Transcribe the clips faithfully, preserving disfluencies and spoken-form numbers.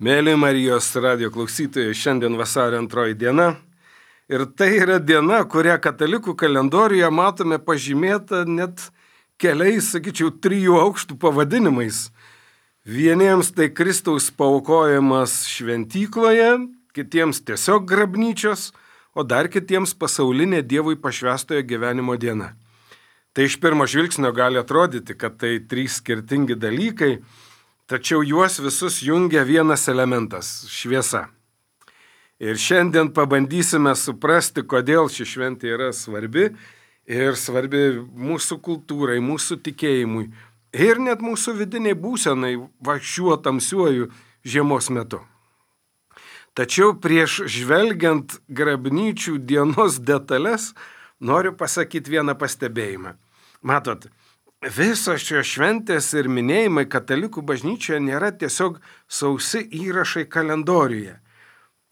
Mėly Marijos radijo klausytojai, šiandien vasario antroji diena. Ir tai yra diena, kurią katalikų kalendoriuje matome pažymėta net keliais, sakyčiau, trijų aukštų pavadinimais. Vieniems tai Kristaus paaukojimas šventykloje, kitiems tiesiog grabnyčios, o dar kitiems pasaulinė Dievui pašvęstojo gyvenimo diena. Tai iš pirmo žvilgsnio gali atrodyti, kad tai trys skirtingi dalykai, tačiau juos visus jungia vienas elementas – šviesa. Ir šiandien pabandysime suprasti, kodėl ši šventė yra svarbi ir svarbi mūsų kultūrai, mūsų tikėjimui ir net mūsų vidiniai būsenai va šiuo tamsiuoju žiemos metu. Tačiau prieš žvelgiant grabnyčių dienos detalės, noriu pasakyti vieną pastebėjimą. Matot, visos šios šventės ir minėjimai katalikų bažnyčioje nėra tiesiog sausi įrašai kalendoriuje.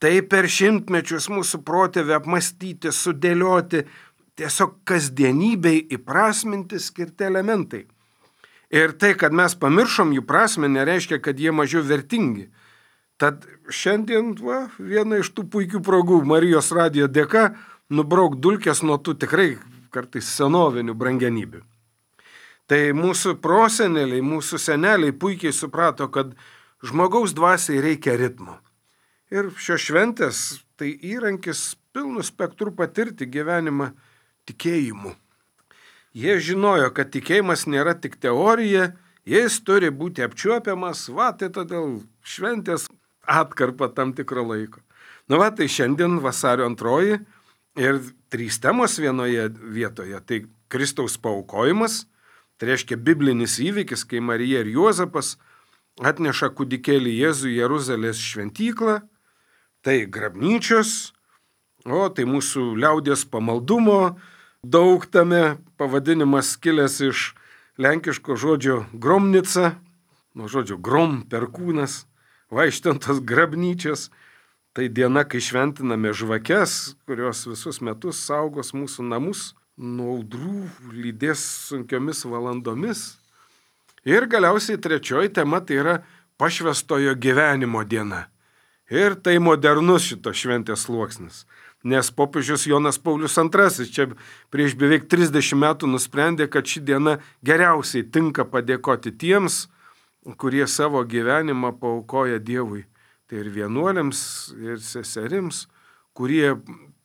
Tai per šimtmečius mūsų protėvių apmastyti, sudėlioti, tiesiog kasdienybei įprasminti skirti elementai. Ir tai, kad mes pamiršom jų prasmę, nereiškia, kad jie mažiau vertingi. Tad šiandien va, viena iš tų puikių progų Marijos radijo dėka nubrauk dulkes nuo tų tikrai kartais senovinių brangenybių. Tai mūsų proseneliai, mūsų seneliai puikiai suprato, kad žmogaus dvasiai reikia ritmo. Ir šios šventės tai įrankis pilnu spektru patirti gyvenimą tikėjimu. Jie žinojo, kad tikėjimas nėra tik teorija, jis turi būti apčiuopiamas, va, tai todėl šventės atkarpa tam tikro laiko. Nu va, tai šiandien vasario antroji ir trys temos vienoje vietoje. Tai Kristaus paaukojimas, tai reiškia biblinis įvykis, kai Marija ir Juozapas atneša kūdikėlį Jėzų į Jeruzalės šventyklą, tai grabnyčios, o tai mūsų liaudies pamaldumo, daug tame pavadinimas kilęs iš lenkiško žodžio gromnica, nuo žodžio grom, perkūnas, vaikštantos grabnyčios. Tai diena, kai šventiname žvakes, kurios visus metus saugos mūsų namus nuo audrų, lydės sunkiomis valandomis. Ir galiausiai trečioji tema tai yra pašvęstojo gyvenimo diena. Ir tai modernus šito šventės sluoksnis. Nes popiežius Jonas Paulius antrasis čia prieš beveik trisdešimt metų nusprendė, kad ši diena geriausiai tinka padėkoti tiems, kurie savo gyvenimą paaukoja Dievui. Tai ir vienuoliams, ir seserims, kurie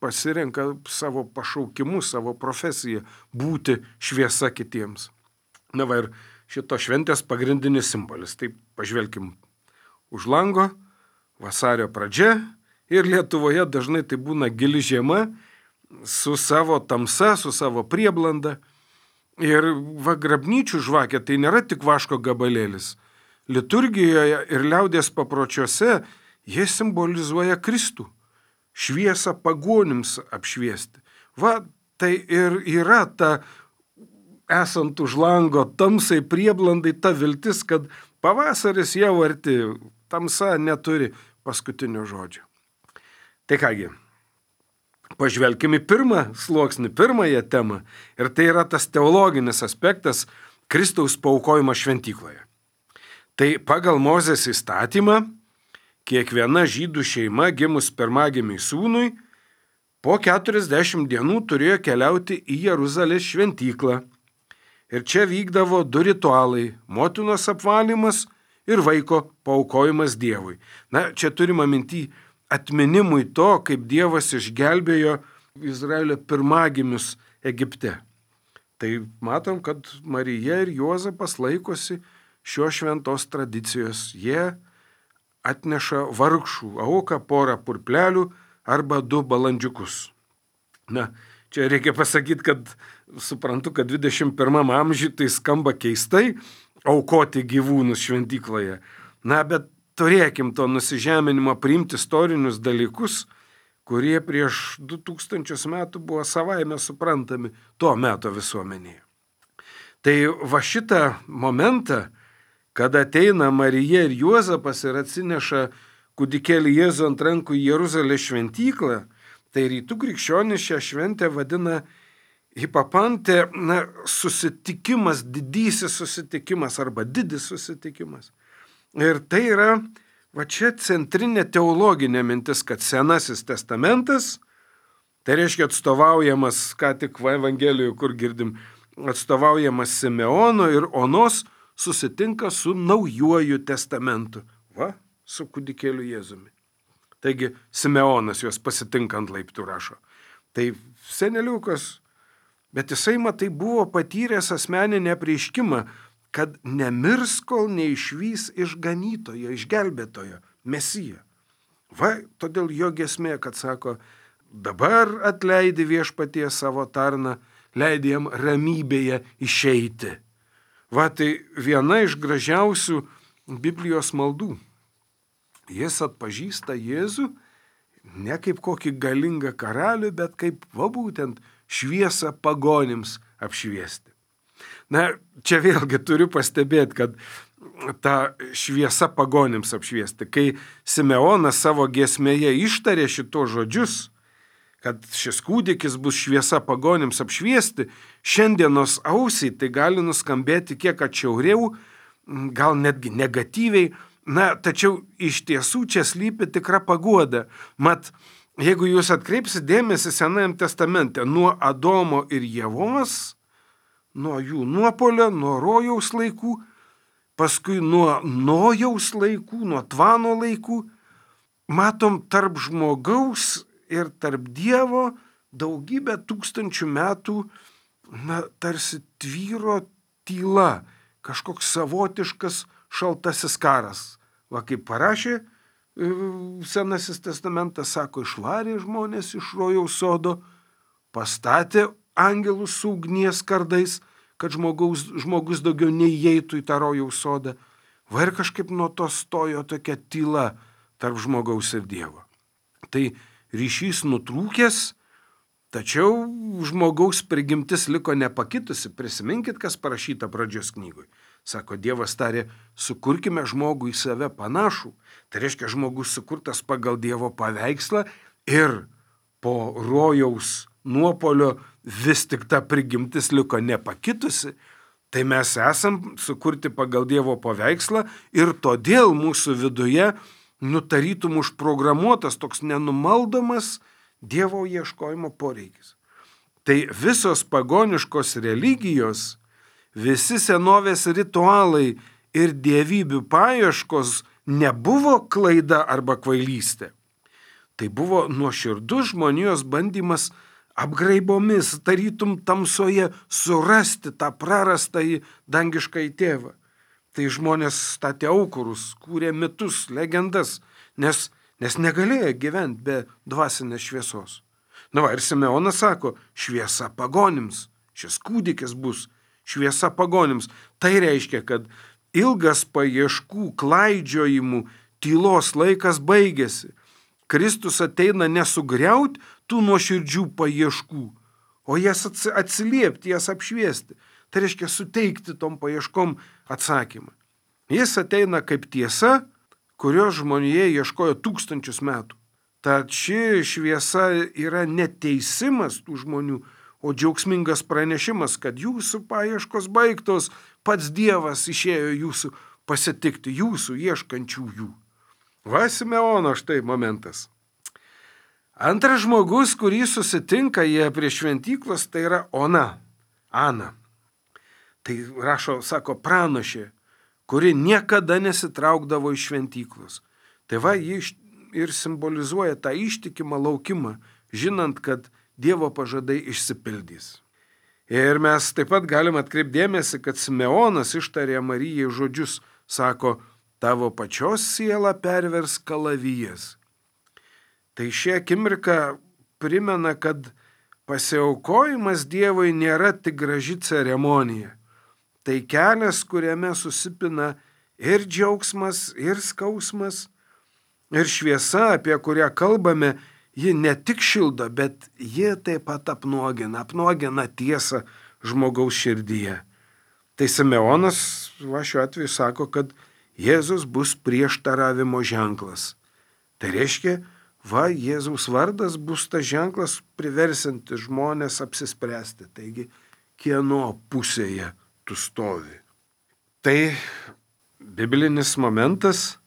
pasirenka savo pašaukimu, savo profesiją būti šviesa kitiems. Na va ir šito šventės pagrindinis simbolis. Tai pažvelkim už lango, vasario pradžia ir Lietuvoje dažnai tai būna gili žiema su savo tamsa, su savo prieblanda. Ir va grabnyčių žvakė tai nėra tik vaško gabalėlis. Liturgijoje ir liaudies papročiuose jie simbolizuoja Kristų, šviesą pagonims apšviesti. Va, tai ir yra ta, esant už lango tamsai prieblandai, ta viltis, kad pavasaris jau arti, tamsa neturi paskutinio žodžio. Tai kągi, pažvelkime į pirmą sluoksnį, pirmąją temą, ir tai yra tas teologinis aspektas Kristaus paaukojimo šventykloje. Tai pagal Mozės įstatymą, kiekviena žydų šeima gimus pirmagimiui sūnui po keturiasdešimt dienų turėjo keliauti į Jeruzalės šventyklą. Ir čia vykdavo du ritualai – motinos apvalymas ir vaiko paaukojimas Dievui. Na, čia turima minty atminimui to, kaip Dievas išgelbėjo Izraelio pirmagimius Egipte. Tai matom, kad Marija ir Juozapas laikosi šios šventos tradicijos. Jie atneša vargšų auką, porą purplelių arba du balandžiukus. Na, čia reikia pasakyti, kad suprantu, kad dvidešimt pirmam amžiui tai skamba keistai aukoti gyvūnus šventykloje. Na, bet turėkim to nusižeminimo priimti istorinius dalykus, kurie prieš du tūkstančius metų buvo savaime suprantami to meto visuomenėje. Tai va šitą momentą, kada ateina Marija ir Juozapas ir atsineša kūdikėlį Jėzų ant rankų į Jeruzalės šventyklą, tai rytų krikščionys šią šventę vadina hipapantė, na, susitikimas, didysis susitikimas arba didis susitikimas. Ir tai yra va čia centrinė teologinė mintis, kad Senasis testamentas, tai reiškia atstovaujamas, ką tik Evangelijoje, kur girdim, atstovaujamas Simeono ir Onos, susitinka su Naujuoju testamentu. Va, su kūdikėliu Jėzumi. Taigi Simeonas juos pasitinka ant laiptų rašo. Tai seneliukas, bet jisai, matai, buvo patyręs asmeninį apreiškimą, kad nemirs, kol neišvys išganytojo, išgelbėtojo, Mesiją. Va, todėl jo giesmė, kad sako, dabar atleidi Viešpatie savo tarną, leidi jam ramybėje išeiti. Va, tai viena iš gražiausių Biblijos maldų. Jis atpažįsta Jėzų ne kaip kokį galingą karalių, bet kaip, va, būtent šviesą pagonims apšviesti. Na, čia vėlgi turiu pastebėti, kad ta šviesa pagonims apšviesti, kai Simeonas savo giesmėje ištarė šitos žodžius, kad šis kūdikis bus šviesa pagonims apšviesti, šiandienos ausiai tai gali nuskambėti kiek atšiauriau, gal netgi negatyviai, na, tačiau iš tiesų čia slypi tikra paguoda. Mat, jeigu jūs atkreipsite dėmesį Senajam testamente, nuo Adomo ir Ievos, nuo jų nuopolio, nuo rojaus laikų, paskui nuo Nojaus laikų, nuo Tvano laikų, matom tarp žmogaus ir tarp Dievo daugybę tūkstančių metų, na, tarsi tvyro tyla, kažkoks savotiškas šaltasis karas. Va, kaip parašė Senasis testamentas, sako, išvarė žmonės iš rojaus sodo, pastatė angelus su ugnies kardais, kad žmogaus, žmogus daugiau neįeitų į tą rojaus sodą. Va, ir kažkaip nuo to stojo tokia tyla tarp žmogaus ir Dievo. Tai ryšys nutrūkęs, tačiau žmogaus prigimtis liko nepakitusi. Prisiminkit, kas parašyta pradžios knygoj. Sako, Dievas tarė, sukurkime žmogų į save panašų. Tai reiškia, žmogus sukurtas pagal Dievo paveikslą ir po rojaus nuopolio vis tik ta prigimtis liko nepakitusi. Tai mes esam sukurti pagal Dievo paveikslą ir todėl mūsų viduje nutarytum užprogramuotas toks nenumaldomas Dievo ieškojimo poreikis. Tai visos pagoniškos religijos, visi senovės ritualai ir dievybių paieškos nebuvo klaida arba kvailystė. Tai buvo nuoširdus žmonijos bandymas apgraibomis, tarytum tamsoje, surasti tą prarastąjį dangiškąjį tėvą. Tai žmonės statė aukurus, kūrė mitus, legendas, nes, nes negalėjo gyventi be dvasinės šviesos. Na va, ir Simeonas sako, šviesa pagonims, šis kūdikis bus šviesa pagonims. Tai reiškia, kad ilgas paieškų, klaidžiojimų, tylos laikas baigėsi. Kristus ateina nesugriauti tų nuoširdžių paieškų, o jas atsiliepti, jas apšviesti. Tai reiškia suteikti tom paieškom atsakymą. Jis ateina kaip tiesa, kurios žmonėje ieškojo tūkstančius metų. Tad ši šviesa yra neteisimas tų žmonių, o džiaugsmingas pranešimas, kad jūsų paieškos baigtos, pats Dievas išėjo jūsų pasitikti, jūsų ieškančiųjų. Va, Simeono štai momentas. Antras žmogus, kurį susitinka jie prie šventyklos, tai yra Ona, Ana. Tai rašo, sako, pranašė, kuri niekada nesitraukdavo iš šventyklos. Tai va, ji ir simbolizuoja tą ištikimą laukimą, žinant, kad Dievo pažadai išsipildys. Ir mes taip pat galim atkreipdėmėsi, kad Simeonas ištarė Marijai žodžius, sako, tavo pačios siela pervers kalavijas. Tai šie akimirka primena, kad pasiaukojimas Dievui nėra tik graži ceremonija. Tai kelias, kuriame susipina ir džiaugsmas, ir skausmas, ir šviesa, apie kurią kalbame, ji ne tik šildo, bet ji taip pat apnuogina, apnuogina tiesą žmogaus širdyje. Tai Simeonas, va, šiuo atveju sako, kad Jėzus bus prieštaravimo ženklas. Tai reiškia, va, Jėzaus vardas bus tas ženklas priversinti žmonės apsispręsti. Taigi, kieno pusėje tu stovi. Tai biblinis momentas,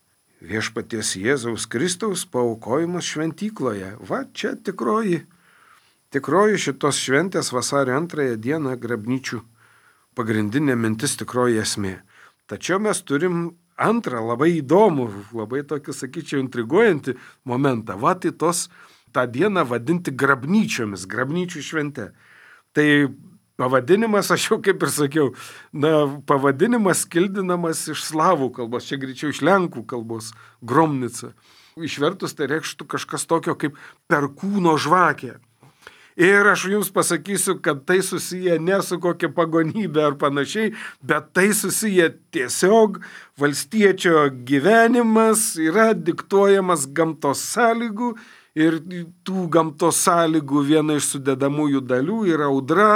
viešpaties Jėzaus Kristaus paaukojimas šventykloje. Va, čia tikroji, tikroji šitos šventės vasario antrąją dieną grabnyčių pagrindinė mintis, tikroji esmė. Tačiau mes turim antrą labai įdomų, labai tokį, sakyčiau, intriguojantį momentą. Va, tai tos tą dieną vadinti grabnyčiomis, grabnyčių švente. Tai pavadinimas, aš jau kaip ir sakiau, na, pavadinimas kildinamas iš slavų kalbos, čia greičiau iš lenkų kalbos, gromnica. Išvertus tai reikštų kažkas tokio kaip perkūno žvakė. Ir aš jums pasakysiu, kad tai susiję ne su kokia pagonybė ar panašiai, bet tai susiję tiesiog valstiečio gyvenimas yra diktuojamas gamtos sąlygų ir tų gamtos sąlygų viena iš sudedamųjų dalių yra audra,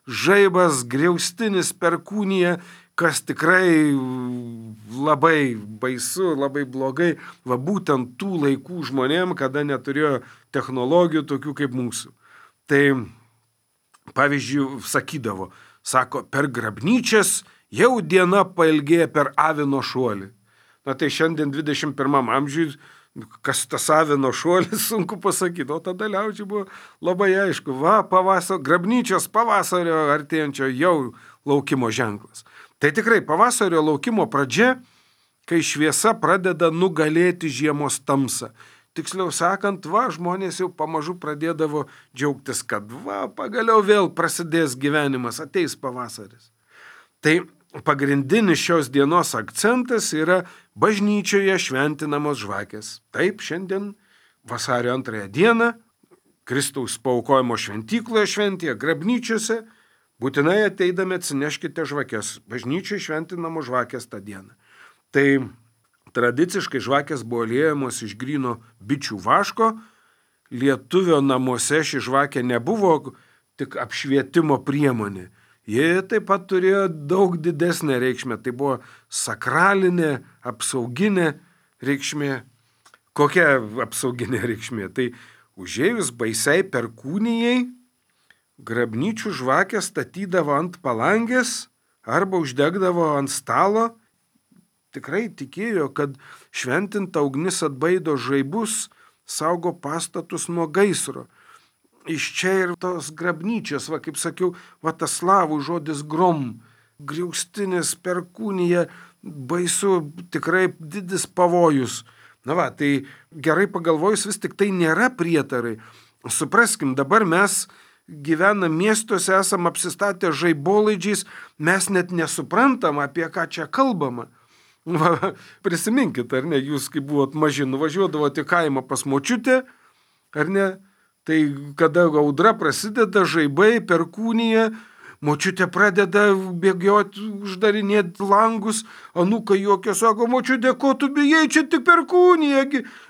žaibas, griaustinis, perkūnija, kas tikrai labai baisu, labai blogai, va būtent tų laikų žmonėm, kada neturėjo technologijų tokių kaip mūsų. Tai, pavyzdžiui, sakydavo, sako, per grabnyčias jau diena pailgėja per avino šuolį. Na tai šiandien dvidešimt pirmam amžiui, kas tas avino šuolis, sunku pasakyti, o tada liaudžiai buvo labai aišku, va, pavasario, grabnyčios pavasario artėjančio jau laukimo ženklas. Tai tikrai pavasario laukimo pradžia, kai šviesa pradeda nugalėti žiemos tamsą. Tiksliau sakant, va, žmonės jau pamažu pradėdavo džiaugtis, kad va, pagaliau vėl prasidės gyvenimas, ateis pavasaris. Tai pagrindinis šios dienos akcentas yra bažnyčioje šventinamos žvakės. Taip, šiandien vasario antrąją dieną Kristaus paaukojimo šventykloje šventėje, grabnyčiose, būtinai ateidami atsineškite žvakės. Bažnyčioje šventinamos žvakės tą dieną. Tai tradiciškai žvakės buvo liejamos iš gryno bičių vaško. Lietuvio namuose ši žvakė nebuvo tik apšvietimo priemonė. Jie taip pat turėjo daug didesnę reikšmę. Tai buvo sakralinė, apsauginė reikšmė. Kokia apsauginė reikšmė? Tai užėjus baisiai perkūnijai, grabnyčių žvakę statydavo ant palangės arba uždegdavo ant stalo. Tikrai tikėjo, kad šventinta ugnis atbaido žaibus, saugo pastatus nuo gaisro. Iš čia ir tos grabnyčios, va kaip sakiau, va tas slavų žodis grom, griaustinis, perkūnija, baisu, tikrai didis pavojus. Na va, tai gerai pagalvojus, vis tik tai nėra prietarai. Supraskim, dabar mes gyvenam miestuose, esam apsistatę žaibolaidžiais, mes net nesuprantam, apie ką čia kalbama. Va, prisiminkit, ar ne, jūs kai buvot maži, nuvažiuodavote į kaimą pas močiutę, ar ne, tai kada audra prasideda, žaibai, perkūnija, močiutė pradeda bėgioti, uždarinėti langus, anūkai juokia, sako, močiutė, ko tu bijai, čia tik perkūnija.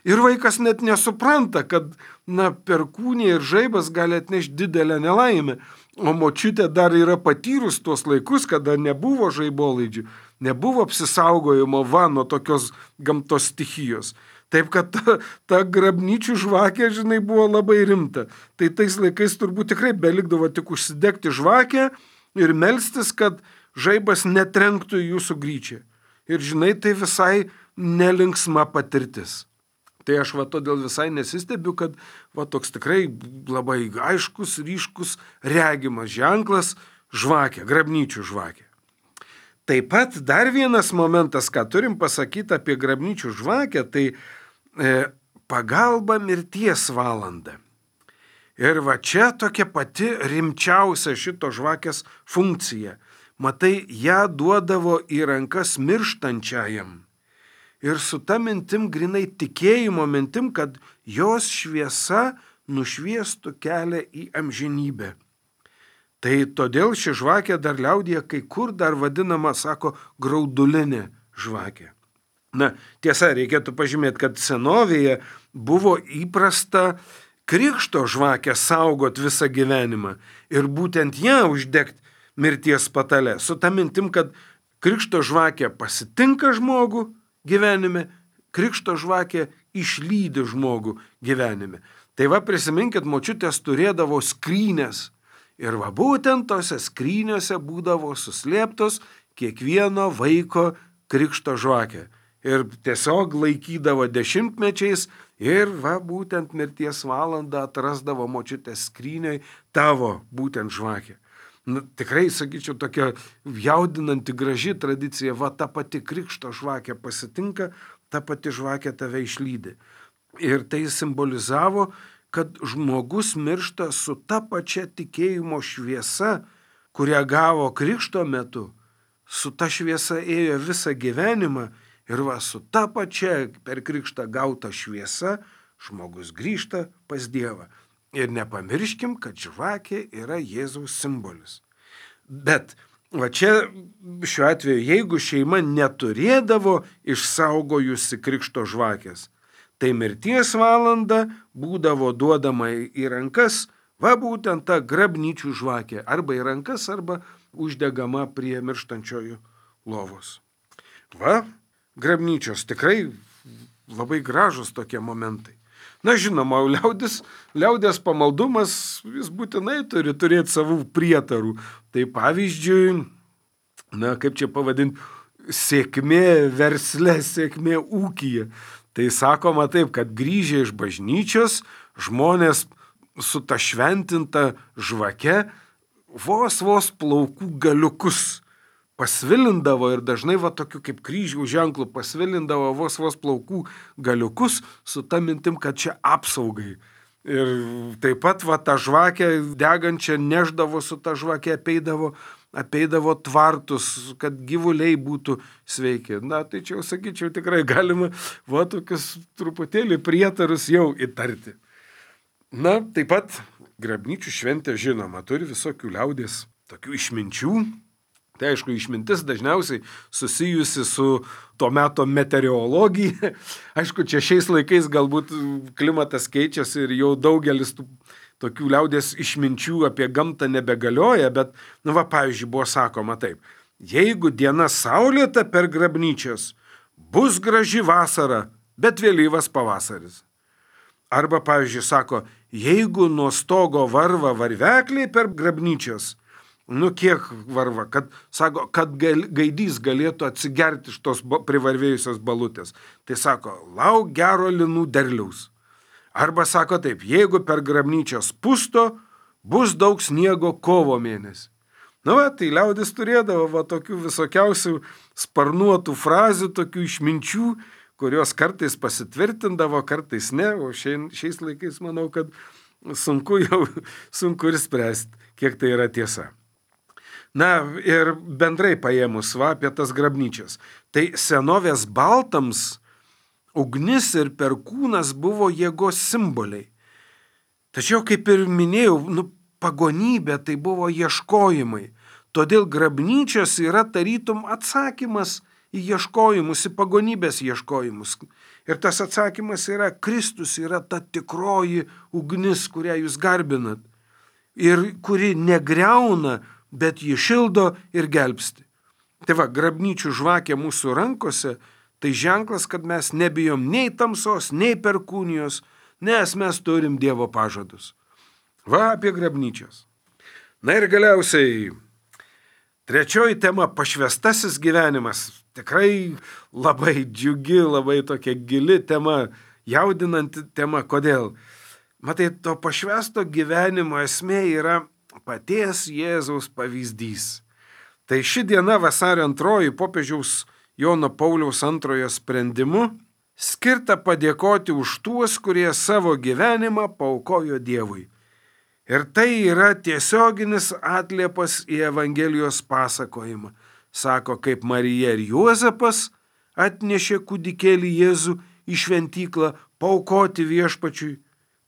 Ir vaikas net nesupranta, kad na, perkūnija ir žaibas gali atnešti didelę nelaimę. O močiutė dar yra patyrus tuos laikus, kada nebuvo žaibolaidžių, nebuvo apsisaugojimo va nuo tokios gamtos stichijos. Taip, kad ta, ta grabnyčių žvakė, žinai, buvo labai rimta. Tai tais laikais turbūt tikrai belikdavo tik užsidegti žvakę ir melstis, kad žaibas netrenktų į jūsų gryčią. Ir žinai, tai visai nelinksma patirtis. Tai aš va todėl visai nesistebiu, kad va toks tikrai labai aiškus, ryškus, regimas ženklas žvakė, grabnyčių žvakė. Taip pat dar vienas momentas, ką turim pasakyti apie grabnyčių žvakę, tai e, pagalba mirties valanda. Ir va čia tokia pati rimčiausia šito žvakės funkcija. Matai, ją duodavo į rankas mirštančiajam. Ir su ta mintim, grinai tikėjimo mintim, kad jos šviesa nušviestų kelią į amžinybę. Tai todėl ši žvakė dar liaudyje kai kur dar vadinama, sako, graudulinė žvakė. Na, tiesa, reikėtų pažymėti, kad senovėje buvo įprasta krikšto žvakę saugot visą gyvenimą ir būtent ją uždegti mirties patale. Su ta mintim, kad krikšto žvakė pasitinka žmogų gyvenime, krikšto žvakė išlydi žmogų gyvenime. Tai va prisiminkit, močiutės turėdavo skrynės. Ir va būtent tose skrynėse būdavo suslėptos kiekvieno vaiko krikšto žvakė. Ir tiesiog laikydavo dešimtmečiais ir va būtent mirties valandą atrasdavo močiutės skrynioj tavo būtent žvakę. Nu, tikrai, sakyčiau, tokia jaudinanti graži tradicija, va ta pati krikšto žvakė pasitinka, ta pati žvakė tave išlydi. Ir tai simbolizavo, kad žmogus miršta su ta pačia tikėjimo šviesa, kurią gavo krikšto metu, su ta šviesa ėjo visą gyvenimą ir va su ta pačia per krikštą gauta šviesa žmogus grįžta pas Dievą. Ir nepamirškim, kad žvakė yra Jėzaus simbolis. Bet va čia šiuo atveju, jeigu šeima neturėdavo išsaugojusi krikšto žvakės, tai mirties valanda būdavo duodama į rankas, va būtent ta grabnyčių žvakė, arba į rankas, arba uždegama prie mirštančiojų lovos. Va, grabnyčios tikrai labai gražus tokie momentai. Na žinoma, liaudis, liaudės pamaldumas vis būtinai turi turėti savų prietarų. Tai pavyzdžiui, na kaip čia pavadinti, sėkmė versle, sėkmė ūkyje. Tai sakoma taip, kad grįžę iš bažnyčios žmonės su ta šventinta žvake vos vos plaukų galiukus pasvilindavo ir dažnai va tokiu kaip kryžiaus ženklu pasvilindavo vos vos plaukų galiukus su ta mintim, kad čia apsaugai. Ir taip pat va tą žvakę degančią neždavo su ta žvakė, apeidavo, apeidavo tvartus, kad gyvuliai būtų sveiki. Na tai čia jau sakyčiau, tikrai galima va tokius truputėlį prietarus jau įtarti. Na taip pat grabnyčių šventė žinoma turi visokių liaudės tokių išminčių. Tai aišku, išmintis dažniausiai susijusi su to meto meteorologija. Aišku, čia šiais laikais galbūt klimatas keičiasi ir jau daugelis tų tokių liaudės išminčių apie gamtą nebegalioja, bet, nu va, pavyzdžiui, buvo sakoma taip. Jeigu diena saulėta per grabnyčias, bus graži vasara, bet vėlyvas pavasaris. Arba, pavyzdžiui, sako, jeigu nuo stogo varva varvekliai per grabnyčias, nu kiek varva, kad, sako, kad gal, gaidys galėtų atsigerti iš tos privarvėjusios balutės. Tai sako, lauk gero linų derliaus. Arba sako taip, jeigu per grabnyčias pusto, bus daug sniego kovo mėnesį. Na va, tai liaudis turėdavo va tokių visokiausių sparnuotų frazių, tokių išminčių, kurios kartais pasitvirtindavo, kartais ne, o šiais laikais manau, kad sunku jau, sunku ir spręsti, kiek tai yra tiesa. Na ir bendrai paėmus va apie tas grabnyčias. Tai senovės baltams ugnis ir perkūnas buvo jėgos simboliai. Tačiau, kaip ir minėjau, nu, pagonybė tai buvo ieškojimai. Todėl grabnyčios yra tarytum atsakymas į ieškojimus, į pagonybės ieškojimus. Ir tas atsakymas yra Kristus, yra ta tikroji ugnis, kurią jūs garbinat. Ir kuri negriauna, bet jį šildo ir gelbsti. Tai va, grabnyčių žvakė mūsų rankose, tai ženklas, kad mes nebijom nei tamsos, nei perkūnijos, nes mes turim Dievo pažadus. Va apie grabnyčias. Na ir galiausiai, trečioji tema – pašvestasis gyvenimas. Tikrai labai džiugi, labai tokia gili tema, jaudinanti tema. Kodėl? Matai, to pašvesto gyvenimo esmė yra paties Jėzaus pavyzdys. Tai ši diena vasario antroji popiežiaus Jono Pauliaus antrojo sprendimu skirta padėkoti už tuos, kurie savo gyvenimą paaukojo Dievui. Ir tai yra tiesioginis atliepas į Evangelijos pasakojimą. Sako, kaip Marija ir Juozapas atnešė kūdikėlį Jėzų į šventyklą paaukoti viešpačiui.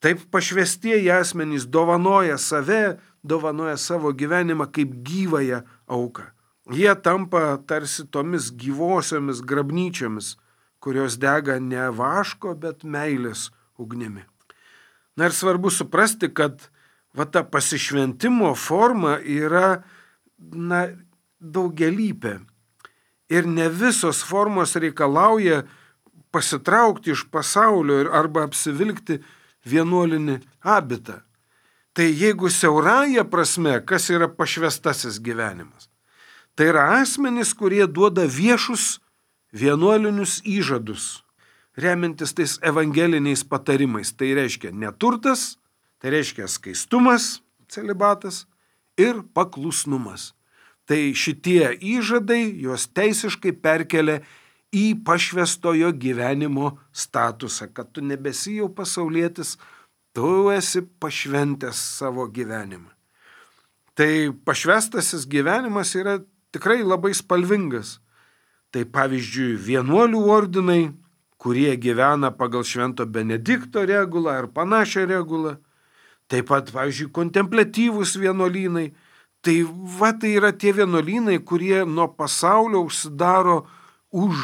Taip pašvestieji asmenys dovanoja save, dovanoja savo gyvenimą kaip gyvąją auką. Jie tampa tarsi tomis gyvosiomis grabnyčiomis, kurios dega ne vaško, bet meilės ugnimi. Na ir svarbu suprasti, kad va ta pasišventimo forma yra na, daugialypė. Ir ne visos formos reikalauja pasitraukti iš pasaulio arba apsivilkti vienuolinį abitą. Tai jeigu siaurąja prasme, kas yra pašvestasis gyvenimas? Tai yra asmenys, kurie duoda viešus, vienuolinius įžadus, remiantis tais evangeliniais patarimais. Tai reiškia neturtas, tai reiškia skaistumas, celibatas ir paklusnumas. Tai šitie įžadai juos teisiškai perkelia į pašvęstojo gyvenimo statusą, kad tu nebesi jau pasaulietis, tu esi pašventęs savo gyvenimą. Tai pašvęstasis gyvenimas yra tikrai labai spalvingas. Tai pavyzdžiui, vienuolių ordinai, kurie gyvena pagal Švento Benedikto regulą ar panašią regulą. Taip pat, pavyzdžiui, kontempliatyvūs vienuolynai. Tai va, tai yra tie vienuolynai, kurie nuo pasaulio užsidaro už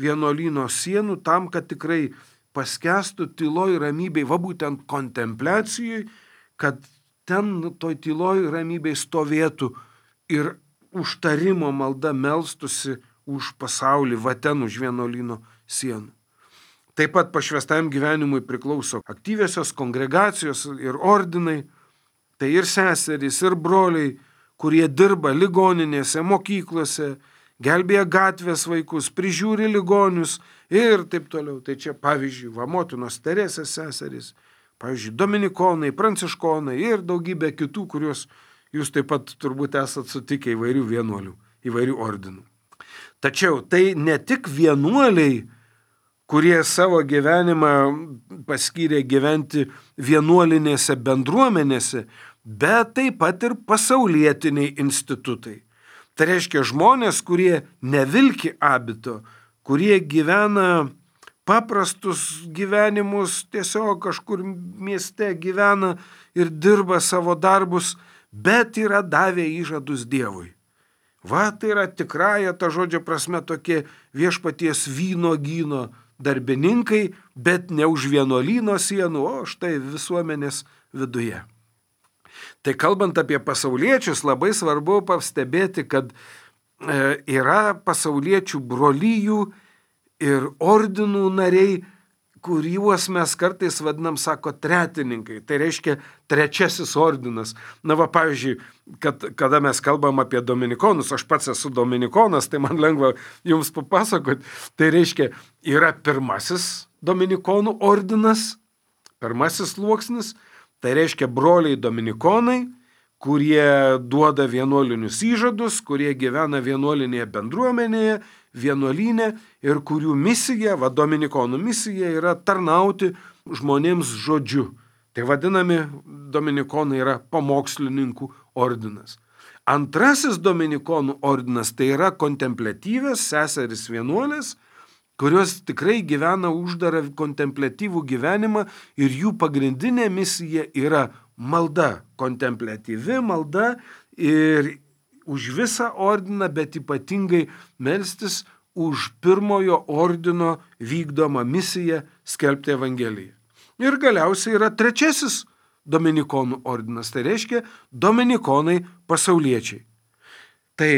vienuolyno sienų tam, kad tikrai paskęstų tyloj ramybėj, va būtent kontempliacijai, kad ten toj tyloj ramybėj stovėtų ir užtarimo malda melstusi už pasaulį, va ten už vienuolyno sienų. Taip pat pašvęstajam gyvenimui priklauso aktyviosios kongregacijos ir ordinai, tai ir seserys, ir broliai, kurie dirba ligoninėse, mokyklose, gelbėja gatvės vaikus, prižiūri ligonius ir taip toliau. Tai čia pavyzdžiui, va motinos Teresės seserys, pavyzdžiui, dominikonai, pranciškonai ir daugybė kitų, kuriuos jūs taip pat turbūt esat sutikę įvairių vienuolių, įvairių ordinų. Tačiau tai ne tik vienuoliai, kurie savo gyvenimą paskyrė gyventi vienuolinėse bendruomenėse, bet taip pat ir pasaulietiniai institutai. Tai reiškia žmonės, kurie nevilki abito, kurie gyvena paprastus gyvenimus, tiesiog kažkur mieste gyvena ir dirba savo darbus, bet yra davę įžadus Dievui. Va, tai yra tikrąja ta žodžio prasme tokie viešpaties vynuogyno darbininkai, bet ne už vienuolyno sienų, o štai visuomenės viduje. Tai kalbant apie pasauliečius, labai svarbu pastebėti, kad yra pasauliečių brolyjų ir ordinų nariai, kuriuos mes kartais vadinam, sako, tretininkai. Tai reiškia trečiasis ordinas. Na va, pavyzdžiui, kad, kada mes kalbam apie dominikonus, aš pats esu dominikonas, tai man lengva jums papasakoti. Tai reiškia, yra pirmasis dominikonų ordinas, pirmasis sluoksnis, tai reiškia broliai dominikonai, kurie duoda vienuolinius įžadus, kurie gyvena vienuolinėje bendruomenėje, vienuolyne ir kurių misija, va dominikonų misija yra tarnauti žmonėms žodžiu. Tai vadinami dominikonai yra pamokslininkų ordinas. Antrasis dominikonų ordinas tai yra kontempliatyvės seserys vienuolės, kurios tikrai gyvena uždarą kontempliatyvų gyvenimą ir jų pagrindinė misija yra malda, kontempliatyvi malda ir už visą ordiną, bet ypatingai melstis už pirmojo ordino vykdomą misiją skelbti Evangeliją. Ir galiausiai yra trečiasis dominikonų ordinas, tai reiškia dominikonai pasauliečiai. Tai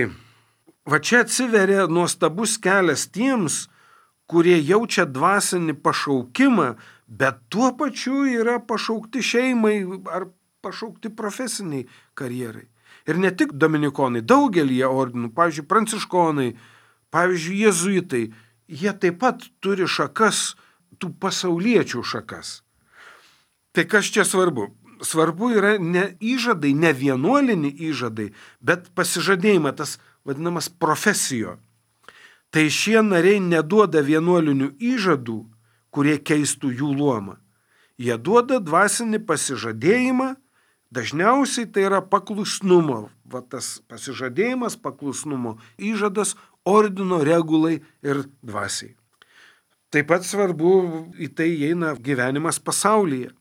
va čia atsiveria nuostabus kelias tiems, kurie jaučia dvasinį pašaukimą, bet tuo pačiu yra pašaukti šeimai ar pašaukti profesiniai karjerai. Ir ne tik dominikonai, daugelį ordinų, pavyzdžiui, pranciškonai, pavyzdžiui, jėzuitai, jie taip pat turi šakas, tų pasauliečių šakas. Tai kas čia svarbu? Svarbu yra ne įžadai, ne vienuolini įžadai, bet pasižadėjimą, tas vadinamas profesijo. Tai šie nariai neduoda vienuolinių įžadų, kurie keistų jų luomą. Jie duoda dvasinį pasižadėjimą, dažniausiai tai yra paklusnumo, va tas pasižadėjimas, paklusnumo įžadas ordino regulai ir dvasiai. Taip pat svarbu į tai įeina gyvenimas pasaulyje.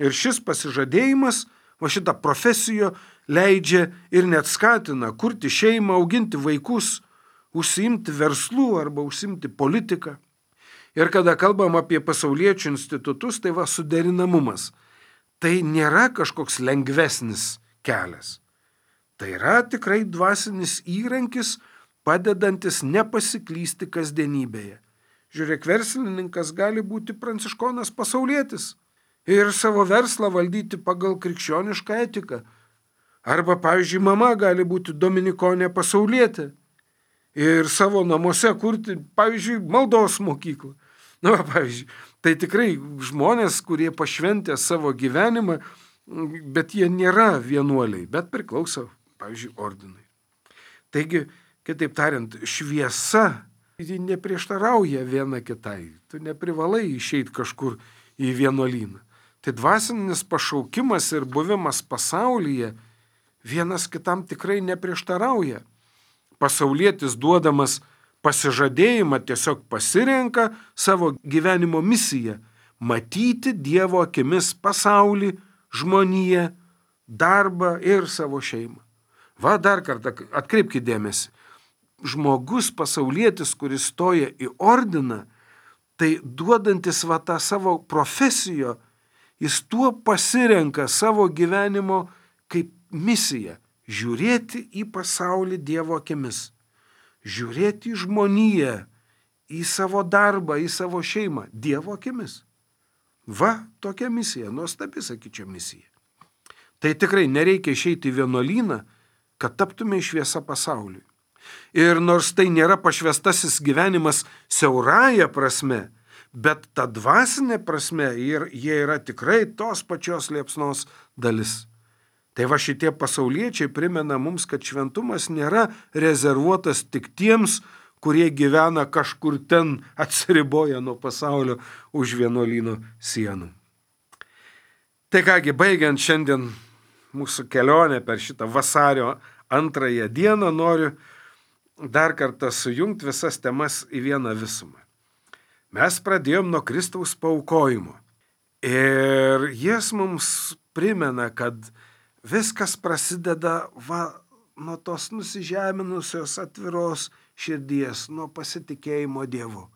Ir šis pasižadėjimas, va šitą profesijo leidžia ir net skatina kurti šeimą, auginti vaikus, užsiimti verslų arba užsiimti politiką. Ir kada kalbam apie pasauliečių institutus, tai va suderinamumas. Tai nėra kažkoks lengvesnis kelias. Tai yra tikrai dvasinis įrankis, padedantis nepasiklysti kasdienybėje. Žiūrėk, verslininkas gali būti pranciškonas pasaulietis ir savo verslą valdyti pagal krikščionišką etiką. Arba, pavyzdžiui, mama gali būti dominikonė pasaulietė ir savo namuose kurti, pavyzdžiui, maldos mokyklą. Na, pavyzdžiui, tai tikrai žmonės, kurie pašventė savo gyvenimą, bet jie nėra vienuoliai, bet priklauso, pavyzdžiui, ordinai. Taigi, kitaip tariant, šviesa, ji neprieštarauja viena kitai. Tu neprivalai išeiti kažkur į vienuolyną. Tai dvasinis pašaukimas ir buvimas pasaulyje vienas kitam tikrai neprieštarauja. Pasaulietis duodamas pasižadėjimą tiesiog pasirenka savo gyvenimo misiją – matyti Dievo akimis pasaulį, žmoniją, darbą ir savo šeimą. Va, dar kartą atkreipkite dėmesį. Žmogus pasaulietis, kuris stoja į ordiną, tai duodantis va tą savo profesiją, jis tuo pasirenka savo gyvenimo kaip misiją – žiūrėti į pasaulį Dievo akimis, žiūrėti į žmoniją, į savo darbą, į savo šeimą Dievo akimis. Va, tokia misija, nuostabi, sakyčiau, misija. Tai tikrai nereikia išeiti į vienuolyną, kad taptume šviesa pasauliui. Ir nors tai nėra pašvestasis gyvenimas siaurąja prasme, bet ta dvasinė prasme ir jie yra tikrai tos pačios liepsnos dalis. Tai va šitie pasauliečiai primena mums, kad šventumas nėra rezervuotas tik tiems, kurie gyvena kažkur ten atsiriboję nuo pasaulio už vienuolyno sienų. Tai kągi, baigiant šiandien mūsų kelionę per šitą vasario antrąją dieną, noriu dar kartą sujungti visas temas į vieną visumą. Mes pradėjom nuo Kristaus paaukojimo. Ir jis mums primena, kad viskas prasideda va, nuo tos nusižeminusios atviros širdies, nuo pasitikėjimo Dievu.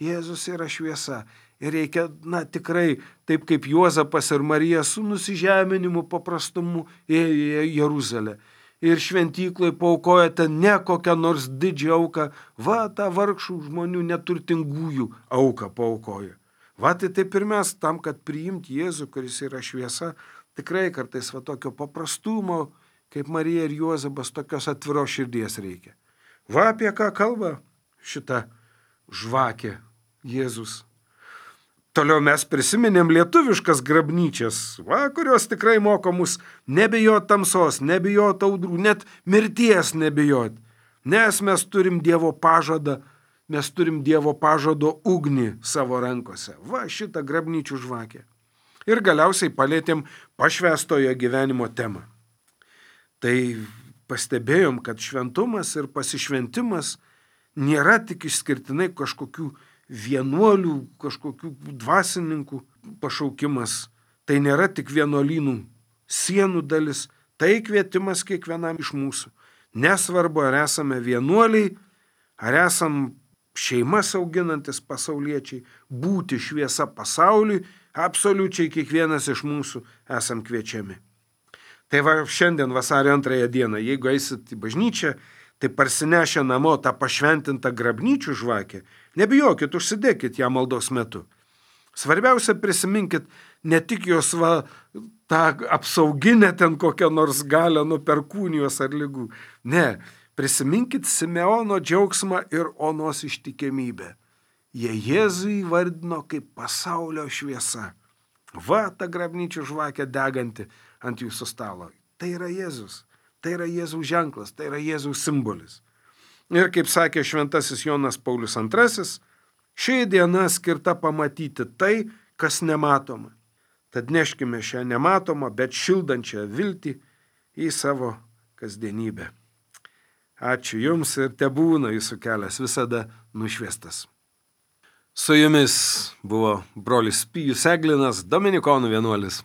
Jėzus yra šviesa. Ir reikia, na tikrai, taip kaip Juozapas ir Marija su nusižeminimu paprastumu ėjo į Jeruzalę. Ir šventyklai paaukoja ten ne kokią nors didžią auką, va tą vargšų žmonių neturtingųjų auką paaukoja. Va tai taip ir mes tam, kad priimti Jėzų, kuris yra šviesa, tikrai kartais va tokio paprastumo, kaip Marija ir Juozapas, tokios atviros širdies reikia. Va apie ką kalba šita žvakė Jėzus. Toliau mes prisiminėm lietuviškas grabnyčias, va, kurios tikrai moko mus nebijot tamsos, nebijot audrų, net mirties nebijot. Nes mes turim Dievo pažadą, mes turim Dievo pažado ugnį savo rankose. Va, šitą grabnyčių žvakę. Ir galiausiai palėtėm pašvestojo gyvenimo temą. Tai pastebėjom, kad šventumas ir pasišventimas nėra tik išskirtinai kažkokių vienuolių, kažkokių dvasininkų pašaukimas. Tai nėra tik vienuolynų sienų dalis, tai kvietimas kiekvienam iš mūsų. Nesvarbu, ar esame vienuoliai, ar esam šeimas auginantis pasauliečiai, būti šviesa pasauliui, absoliučiai kiekvienas iš mūsų esam kviečiami. Tai va šiandien vasario antrąją dieną, jeigu eisit į bažnyčią, tai parsinešę namo tą pašventintą grabnyčių žvakę, nebijokit, užsidėkit ją maldos metu. Svarbiausia, prisiminkit ne tik jos va, tą apsauginę ten kokią nors galę nuo perkūnijos ar ligų. Ne, prisiminkit Simeono džiaugsmą ir Onos ištikimybę. Jie Jėzų įvardino kaip pasaulio šviesa. Va, ta grabnyčių žvakė deganti ant jūsų stalo. Tai yra Jėzus. Tai yra Jėzaus ženklas, tai yra Jėzaus simbolis. Ir kaip sakė šventasis Jonas Paulius antrasis, ši diena skirta pamatyti tai, kas nematoma. Tad neškime šią nematomą, bet šildančią viltį į savo kasdienybę. Ačiū Jums ir tebūna Jūsų kelias visada nušviestas. Su Jumis buvo brolis Pijus Eglinas, dominikonų vienuolis.